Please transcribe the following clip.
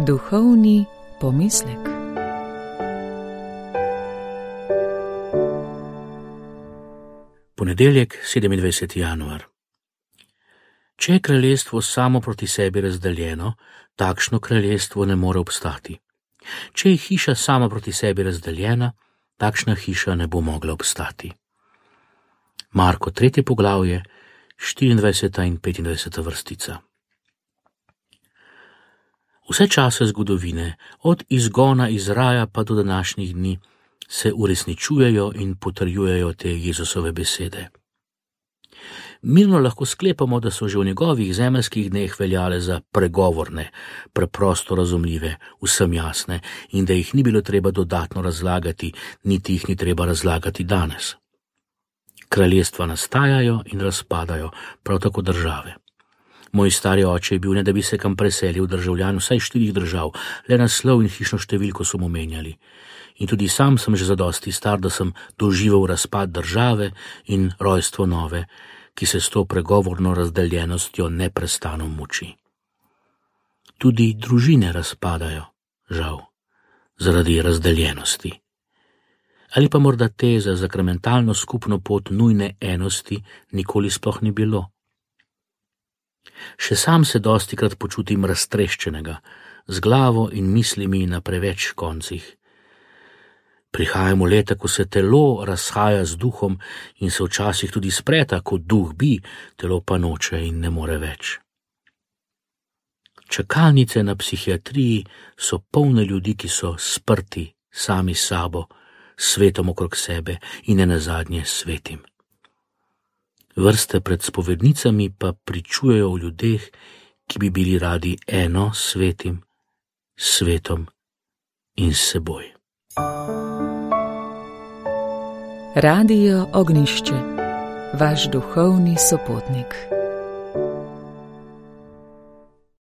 Duhovni pomislek. Ponedeljek, 27. januar. Če je kraljestvo samo proti sebi razdeljeno, takšno kraljestvo ne more obstati. Če je hiša sama proti sebi razdeljena, takšna hiša ne bo mogla obstati. Marko 3. poglavje, 24. in 25. vrstica. Vse čase zgodovine, od izgona iz raja pa do današnjih dni, se uresničujejo in potrjujejo te Jezusove besede. Mirno lahko sklepamo, da so že v njegovih zemeljskih dneh veljale za pregovorne, preprosto razumljive, vsem jasne in da jih ni bilo treba dodatno razlagati, niti jih ni treba razlagati danes. Kraljestva nastajajo in razpadajo, prav tako države. Moj stari oče je bil, ne da bi se kam preselil, državljan vsaj 4 držav, le naslov in hišno številko so mu menjali. In tudi sam sem že zadosti star, da sem doživel razpad države in rojstvo nove, ki se s to pregovorno razdeljenostjo neprestano muči. Tudi družine razpadajo, žal, zaradi razdeljenosti. Ali pa morda te za sakramentalno skupno pot nujne enosti nikoli sploh ni bilo. Še sam se dostikrat počutim raztreščenega, z glavo in mislimi na preveč koncih. Prihajamo leta, ko se telo razhaja z duhom in se včasih tudi spreta, ko duh bi, telo pa noče in ne more več. Čakalnice na psihiatriji so polne ljudi, ki so sprti sami s sabo, svetom okrog sebe in nenazadnje svetim. Vrste pred spovednicami pa pričujejo o ljudeh, ki bi bili radi eno s svetim, svetom in s seboj. Radio Ognjišče, vaš duhovni sopotnik.